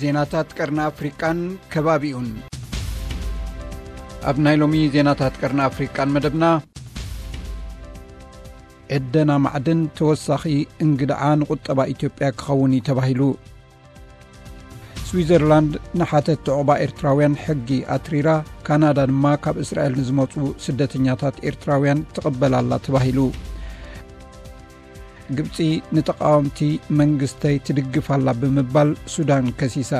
ዜናታት ቀርኒ ኣፍሪቃን ከባቢኡን። ኣብ ናይ ሎሚ ዜናታት ቀርኒ ኣፍሪቃን መደብና፣ ዕደና ማዕድን ተወሳኺ እንግድዓ ንቁጠባ ኢትዮጵያ ክኸውን እዩ ተባሂሉ። ስዊዘርላንድ ንሓተት ዕቑባ ኤርትራውያን ሕጊ ኣትሪራ፣ ካናዳ ድማ ካብ እስራኤል ንዝመጹ ስደተኛታት ኤርትራውያን ትቕበል ኣላ ተባሂሉ። ግብጺ ንተቓወምቲ መንግስተይ ትድግፍ ኣላ ብምባል ሱዳን ከሲሳ።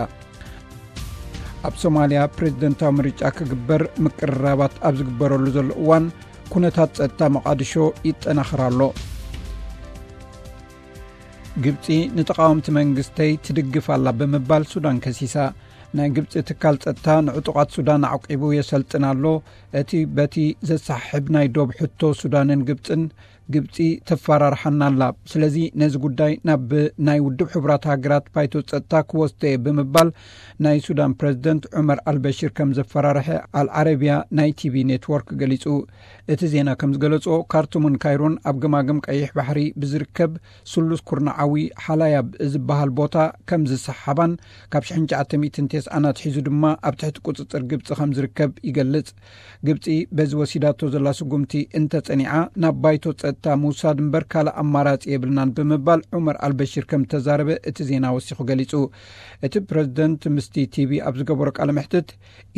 ኣብ ሶማልያ ፕሬዝደንታዊ ምርጫ ክግበር ምቅርራባት ኣብ ዝግበረሉ ዘሎ እዋን፣ ኩነታት ጸጥታ መቓድሾ ይጠናኸር ኣሎ። ግብጺ ንተቓወምቲ መንግስተይ ትድግፍ ኣላ ብምባል ሱዳን ከሲሳ። ናይ ግብጺ ትካል ጸጥታ ንዕጡቓት ሱዳን ኣዕቂቡ የሰልጥን ኣሎ። እቲ በቲ ዘሰሓሕብ ናይ ዶብ ሕቶ ሱዳንን ግብጽን፣ ግብጺ ተፈራርሓና ኣላ። ስለዚ ነዚ ጉዳይ ናብ ናይ ውድብ ሕቡራት ሃገራት ባይቶ ጸጥታ ክወስዶ እየ ብምባል ናይ ሱዳን ፕሬዝደንት ዑመር ኣልበሽር ከም ዘፈራርሐ ኣልዓረቢያ ናይ ቲቪ ኔትወርክ ገሊጹ። እቲ ዜና ከም ዝገለጾ፣ ካርቱምን ካይሮን ኣብ ገማግም ቀይሕ ባሕሪ ብዝርከብ ስሉስ ኩርናዓዊ ሓላያብ ዝበሃል ቦታ ከም ዝሰሓባን ካብ ሽሕን ትሽዓተ ሚእትን ተስዓን ኣትሒዙ ድማ ኣብ ትሕቲ ቁጽጽር ግብጺ ከም ዝርከብ ይገልጽ። ግብጺ በዚ ወሲዳቶ ዘላ ስጉምቲ እንተጸኒዓ፣ ናብ ባይቶ ጸጥታ ምውሳድ እምበር ካልእ ኣማራጺ የብልናን ብምባል ዑመር ኣልበሽር ከም ተዛረበ እቲ ዜና ወሲኹ ገሊጹ። እቲ ፕረዚደንት ምስቲ ቲቪ ኣብ ዝገበሮ ቃለ መሕትት፣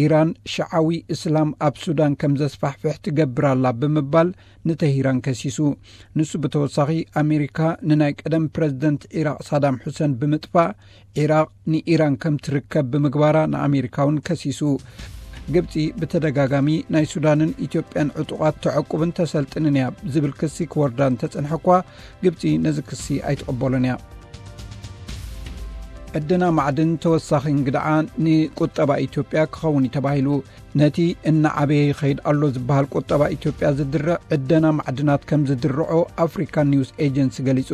ኢራን ሽዓዊ እስላም ኣብ ሱዳን ከም ዘስፋሕፍሕ ትገብር ኣላ ብምባል ንተሂራን ከሲሱ። ንሱ ብተወሳኺ፣ ኣሜሪካ ንናይ ቀደም ፕረዚደንት ዒራቕ ሳዳም ሑሰን ብምጥፋእ፣ ዒራቕ ንኢራን ከም ትርከብ ብምግባራ ንኣሜሪካ እውን ከሲሱ። ግብጺ ብተደጋጋሚ ናይ ሱዳንን ኢትዮጵያን ዕጡቓት ተዕቁብን ተሰልጥንን እያ ዝብል ክሲ ክወርዳ እንተጸንሐ እኳ፣ ግብጺ ነዚ ክሲ ኣይትቕበሎን እያ። ዕደና ማዕድን ተወሳኺ እንግድዓ ንቁጠባ ኢትዮጵያ ክኸውን እዩ ተባሂሉ። ነቲ እናዓበየ ይኸይድ ኣሎ ዝበሃል ቁጠባ ኢትዮጵያ ዝድርዕ ዕደና ማዕድናት ከም ዝድርዖ ኣፍሪካን ኒውስ ኤጀንሲ ገሊጹ።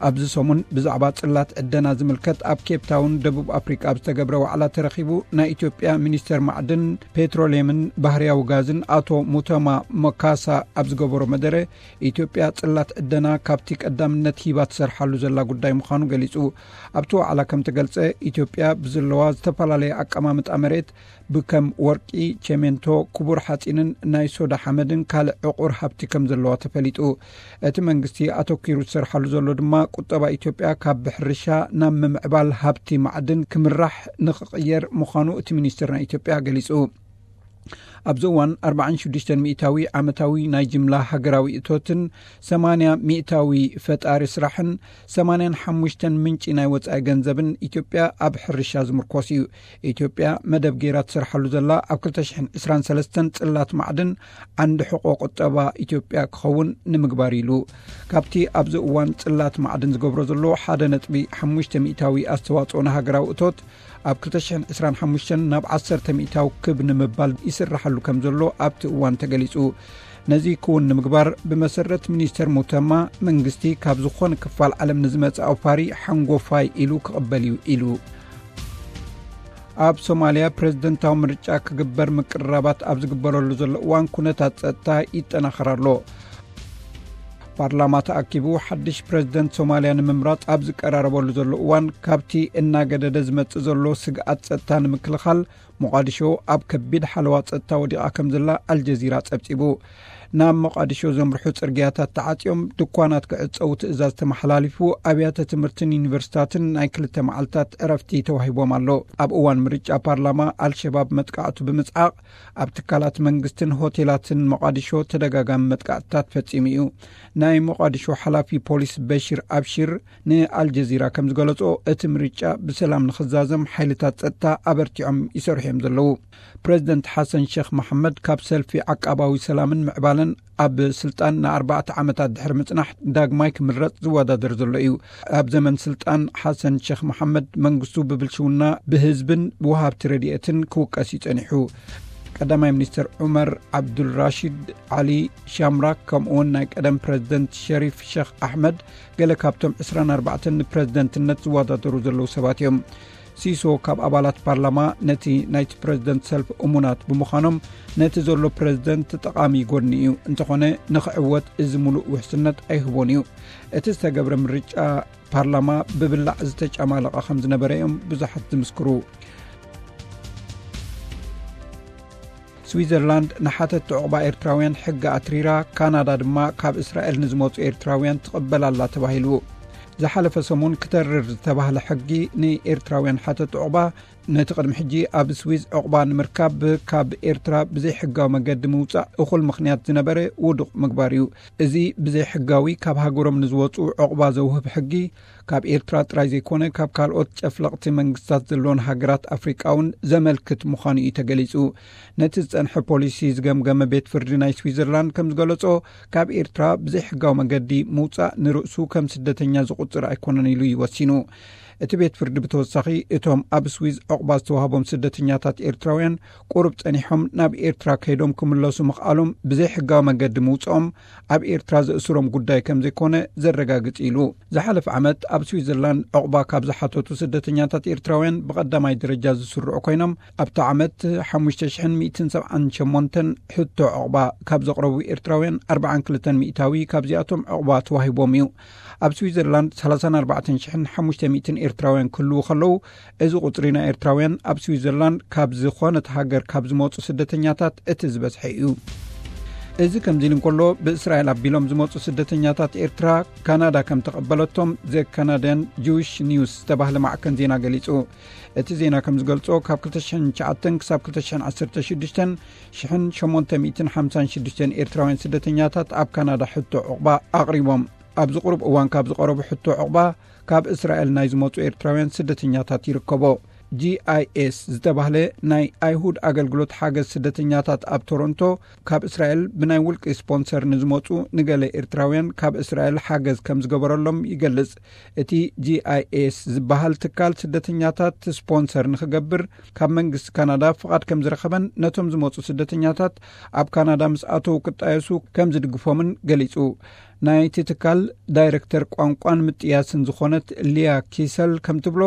ኣብዚ ሰሙን ብዛዕባ ጽላት ዕደና ዝምልከት ኣብ ኬፕ ታውን ደቡብ ኣፍሪካ ኣብ ዝተገብረ ዋዕላ ተረኺቡ ናይ ኢትዮጵያ ሚኒስተር ማዕድን፣ ፔትሮሊየምን ባህርያዊ ጋዝን ኣቶ ሙተማ መካሳ ኣብ ዝገበሮ መደረ፣ ኢትዮጵያ ጽላት ዕደና ካብቲ ቀዳምነት ሂባ ትሰርሓሉ ዘላ ጉዳይ ምዃኑ ገሊጹ። ኣብቲ ዋዕላ ከም ተገልጸ፣ ኢትዮጵያ ብዘለዋ ዝተፈላለየ ኣቀማምጣ መሬት ብከም ወርቂ፣ ቸሜንቶ፣ ክቡር ሓጺንን ናይ ሶዳ ሓመድን ካልእ ዕቑር ሃብቲ ከም ዘለዋ ተፈሊጡ። እቲ መንግስቲ ኣተኲሩ ዝሰርሓሉ ዘሎ ድማ ቁጠባ ኢትዮጵያ ካብ ብሕርሻ ናብ ምምዕባል ሃብቲ ማዕድን ክምራሕ ንኽቕየር ምዃኑ እቲ ሚኒስትር ናይ ኢትዮጵያ ገሊጹ። ኣብዚ እዋን ኣርባዓን ሽዱሽተን ሚእታዊ ዓመታዊ ናይ ጅምላ ሃገራዊ እቶትን ሰማንያ ሚእታዊ ፈጣሪ ስራሕን ሰማንያን ሓሙሽተን ምንጪ ናይ ወጻኢ ገንዘብን ኢትዮጵያ ኣብ ሕርሻ ዝምርኮስ እዩ። ኢትዮጵያ መደብ ገይራ ትሰርሓሉ ዘላ ኣብ ክልተ ሽሕን ዕስራን ሰለስተን ጽላት ማዕድን ዓንዲ ሕቖ ቁጠባ ኢትዮጵያ ክኸውን ንምግባር ኢሉ። ካብቲ ኣብዚ እዋን ጽላት ማዕድን ዝገብሮ ዘሎ ሓደ ነጥቢ ሓሙሽተ ሚእታዊ ኣስተዋጽኦ ንሃገራዊ እቶት ኣብ ክልተ ሽሕን ዕስራን ሓሙሽተን ናብ ዓሰርተ ሚእታዊ ክብ ንምባል ይስራሓሉ ከም ዘሎ ኣብቲ እዋን ተገሊጹ። ነዚ ክውን ንምግባር ብመሰረት ሚኒስተር ሙተማ መንግስቲ ካብ ዝኾነ ክፋል ዓለም ንዝመጽእ ኣውፋሪ ሓንጎፋይ ኢሉ ክቕበል እዩ ኢሉ። ኣብ ሶማልያ ፕረዚደንታዊ ምርጫ ክግበር ምቅርራባት ኣብ ዝግበረሉ ዘሎ እዋን ኩነታት ጸጥታ ይጠናኸር ኣሎ። ፓርላማ ተኣኪቡ ሓድሽ ፕረዚደንት ሶማልያ ንምምራጽ ኣብ ዝቀራረበሉ ዘሎ እዋን፣ ካብቲ እናገደደ ዝመጽእ ዘሎ ስግኣት ጸጥታ ንምክልኻል፣ ሞቓዲሾ ኣብ ከቢድ ሓለዋ ጸጥታ ወዲቓ ከም ዘላ ኣልጀዚራ ጸብጺቡ። ናብ ሞቓዲሾ ዘምርሑ ጽርግያታት ተዓጽዮም፣ ድኳናት ክዕጸዉ ትእዛዝ ተመሓላሊፉ፣ ኣብያተ ትምህርትን ዩኒቨርሲታትን ናይ ክልተ መዓልታት ዕረፍቲ ተዋሂቦም ኣሎ። ኣብ እዋን ምርጫ ፓርላማ ኣልሸባብ መጥቃዕቱ ብምጽዓቕ፣ ኣብ ትካላት መንግስትን ሆቴላትን ሞቓዲሾ ተደጋጋሚ መጥቃዕትታት ፈጺሙ እዩ። ናይ ሞቓዲሾ ሓላፊ ፖሊስ በሺር ኣብሺር ንኣልጀዚራ ከም ዝገለጾ፣ እቲ ምርጫ ብሰላም ንኽዛዘም ሓይልታት ጸጥታ ኣበርቲዖም ይሰርሑ እዮም ዘለዉ። ፕረዚደንት ሓሰን ሼኽ መሓመድ ካብ ሰልፊ ዓቃባዊ ሰላምን ምዕባለን ኣብ ስልጣን ንኣርባዕተ ዓመታት ድሕሪ ምጽናሕ ዳግማይ ክምረጽ ዝወዳደር ዘሎ እዩ። ኣብ ዘመን ስልጣን ሓሰን ሼኽ መሓመድ መንግስቱ ብብልሽውና ብህዝብን ብወሃብቲ ረድኤትን ክውቀስ እዩ ጸኒሑ። ቀዳማይ ሚኒስትር ዑመር ዓብዱልራሺድ ዓሊ ሻምራክ ከምኡውን ናይ ቀደም ፕረዚደንት ሸሪፍ ሼኽ ኣሕመድ ገለ ካብቶም ዕስራን ኣርባዕተን ንፕረዚደንትነት ዝወዳደሩ ዘለዉ ሰባት እዮም። ሲሶ ካብ ኣባላት ፓርላማ ነቲ ናይቲ ፕረዚደንት ሰልፍ እሙናት ብምዃኖም፣ ነቲ ዘሎ ፕረዚደንት ጠቓሚ ጎድኒ እዩ፣ እንተኾነ ንኽዕወት እዚ ምሉእ ውሕስነት ኣይህቦን እዩ። እቲ ዝተገብረ ምርጫ ፓርላማ ብብላዕ ዝተጨማለቐ ከም ዝነበረ እዮም ብዙሓት ዝምስክሩ። ስዊዘርላንድ ንሓተቲ ዑቕባ ኤርትራውያን ሕጊ ኣትሪራ፣ ካናዳ ድማ ካብ እስራኤል ንዝመጹ ኤርትራውያን ትቕበል ኣላ ተባሂሉ። ዝሓለፈ ሰሙን ክተርር ዝተባህለ ሕጊ ንኤርትራውያን ሓተቲ ዑቕባ፣ ነቲ ቅድሚ ሕጂ ኣብ ስዊዝ ዑቕባ ንምርካብ ካብ ኤርትራ ብዘይሕጋዊ መገዲ ምውጻእ እኹል ምኽንያት ዝነበረ ውዱቕ ምግባር እዩ። እዚ ብዘይሕጋዊ ካብ ሃገሮም ንዝወጹ ዑቕባ ዘውህብ ሕጊ፣ ካብ ኤርትራ ጥራይ ዘይኮነ፣ ካብ ካልኦት ጨፍለቕቲ መንግስታት ዘለዎን ሃገራት ኣፍሪቃ እውን ዘመልክት ምዃኑ እዩ ተገሊጹ። ነቲ ዝጸንሐ ፖሊሲ ዝገምገመ ቤት ፍርዲ ናይ ስዊዘርላንድ ከም ዝገለጾ፣ ካብ ኤርትራ ብዘይሕጋዊ መገዲ ምውጻእ ንርእሱ ከም ስደተኛ ዝቑጽር ኣይኮነን ኢሉ እዩ ወሲኑ። እቲ ቤት ፍርዲ ብተወሳኺ፣ እቶም ኣብ ስዊዝ ዑቕባ ዝተዋህቦም ስደተኛታት ኤርትራውያን ቁሩብ ጸኒሖም ናብ ኤርትራ ከይዶም ክምለሱ ምኽኣሎም ብዘይሕጋዊ መገዲ ምውጽኦም ኣብ ኤርትራ ዘእስሮም ጉዳይ ከም ዘይኮነ ዘረጋግጽ ኢሉ። ዝሓለፈ ዓመት ኣብ ስዊዘርላንድ ዑቕባ ካብ ዝሓተቱ ስደተኛታት ኤርትራውያን ብቐዳማይ ደረጃ ዝስርዑ ኮይኖም፣ ኣብቲ ዓመት ሓሙሽተ ሽሕን ሚእትን ሰብዓን ሸሞንተን ሕቶ ዑቕባ ካብ ዘቕረቡ ኤርትራውያን ኣርብዓን ክልተን ሚእታዊ ካብዚኣቶም ዑቕባ ተዋሂቦም እዩ። ኣብ ስዊዘርላንድ ሰላሳን ኣርባዕተን ሽሕን ሓሙሽተ ሚእትን ኤርትራውያን ክህልዉ ከለዉ፣ እዚ ቁጽሪ ናይ ኤርትራውያን ኣብ ስዊዘርላንድ ካብ ዝኾነት ሃገር ካብ ዝመጹ ስደተኛታት እቲ ዝበዝሐ እዩ። እዚ ከምዚ ኢሉ እንከሎ፣ ብእስራኤል ኣቢሎም ዝመጹ ስደተኛታት ኤርትራ ካናዳ ከም ተቐበለቶም ዘ ካናዳን ጂዊሽ ኒውስ ዝተባህለ ማዕከን ዜና ገሊጹ። እቲ ዜና ከም ዝገልጾ፣ ካብ ክልተ ሽሕን ትሽዓተን ክሳብ ክልተ ሽሕን ዓሰርተ ሽዱሽተን፣ ሽሕን ሸሞንተ ሚእትን ሓምሳን ሽዱሽተን ኤርትራውያን ስደተኛታት ኣብ ካናዳ ሕቶ ዑቕባ ኣቕሪቦም። ኣብዚ ቁሩብ እዋን ካብ ዝቐረቡ ሕቶ ዑቕባ፣ ካብ እስራኤል ናይ ዝመጹ ኤርትራውያን ስደተኛታት ይርከቦ። ጂ ኣይ ኤስ ዝተባህለ ናይ ኣይሁድ ኣገልግሎት ሓገዝ ስደተኛታት ኣብ ቶሮንቶ፣ ካብ እስራኤል ብናይ ውልቂ ስፖንሰር ንዝመጹ ንገለ ኤርትራውያን ካብ እስራኤል ሓገዝ ከም ዝገበረሎም ይገልጽ። እቲ ጂ ኣይ ኤስ ዝበሃል ትካል ስደተኛታት ስፖንሰር ንኽገብር ካብ መንግስቲ ካናዳ ፍቓድ ከም ዝረኸበን፣ ነቶም ዝመጹ ስደተኛታት ኣብ ካናዳ ምስ ኣተዉ ክጣየሱ ከም ዝድግፎምን ገሊጹ። ናይቲ ትካል ዳይረክተር ቋንቋን ምጥያስን ዝኾነት ሊያ ኪሰል ከም ትብሎ፣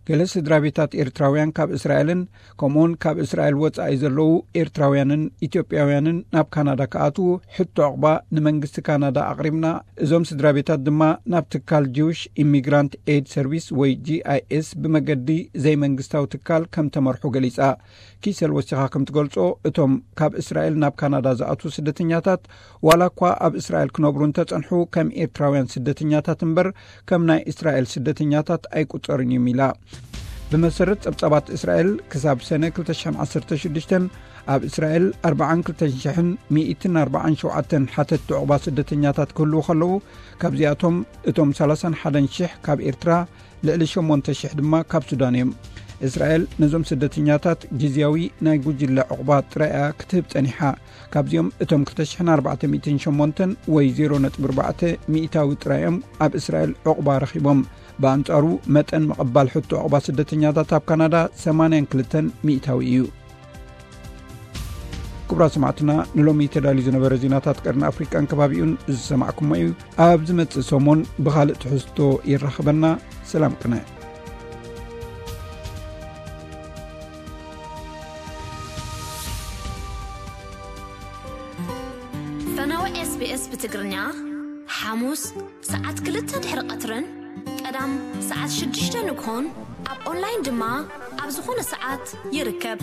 ገለ ስድራ ቤታት ኤርትራውያን ካብ እስራኤልን ከምኡውን ካብ እስራኤል ወጻኢ ዘለዉ ኤርትራውያንን ኢትዮጵያውያንን ናብ ካናዳ ክኣትዉ ሕቶ ዕቑባ ንመንግስቲ ካናዳ ኣቕሪብና። እዞም ስድራ ቤታት ድማ ናብ ትካል ጂውሽ ኢሚግራንት ኤድ ሰርቪስ ወይ ጂ ኣይ ኤስ ብመገዲ ዘይመንግስታዊ ትካል ከም ተመርሑ ገሊጻ። ኪሰል ወሲኻ ከም ትገልጾ፣ እቶም ካብ እስራኤል ናብ ካናዳ ዝኣትዉ ስደተኛታት፣ ዋላ እኳ ኣብ እስራኤል ክነብሩ እንተጸንሑ፣ ከም ኤርትራውያን ስደተኛታት እምበር ከም ናይ እስራኤል ስደተኛታት ኣይቁጸሩን እዮም ኢላ። ብመሰረት ጸብጻባት እስራኤል፣ ክሳብ ሰነ ክልተ ሽሕን ዓሰርተ ሽዱሽተን ኣብ እስራኤል ኣርባዓን ክልተን ሽሕን ሚእትን ኣርባዓን ሸውዓተን ሓተትቲ ዕቑባ ስደተኛታት ክህልዉ ከለዉ፣ ካብዚኣቶም እቶም ሰላሳን ሓደን ሽሕ ካብ ኤርትራ፣ ልዕሊ ሸሞንተ ሽሕ ድማ ካብ ሱዳን እዮም። እስራኤል ነዞም ስደተኛታት ግዝያዊ ናይ ጉጅለ ዕቑባ ጥራይ እያ ክትህብ ጸኒሓ። ካብዚኦም እቶም ክልተ ሽሕን ኣርባዕተ ሚእትን ሸሞንተን ወይ ዜሮ ነጥቢ ኣርባዕተ ሚእታዊ ጥራይ እዮም ኣብ እስራኤል ዕቑባ ረኺቦም። ብኣንጻሩ መጠን ምቕባል ሕቶ ዕቑባ ስደተኛታት ኣብ ካናዳ ሰማንያን ክልተን ሚእታዊ እዩ። ክቡራት ሰማዕትና፣ ንሎሚ ተዳልዩ ዝነበረ ዜናታት ቀርኒ ኣፍሪቃን ከባቢኡን ዝሰማዕኩሞ እዩ። ኣብ ዝመጽእ ሰሙን ብኻልእ ትሕዝቶ ይራኸበና። ሰላም ቅነ። ፈነወ ኤስ ቢ ኤስ ብትግርኛ፣ ሓሙስ ሰዓት ክልተ ድሕሪ ቀትርን ቀዳም ሰዓት ሽዱሽተ ንግሆን፣ ኣብ ኦንላይን ድማ ኣብ ዝኾነ ሰዓት ይርከብ።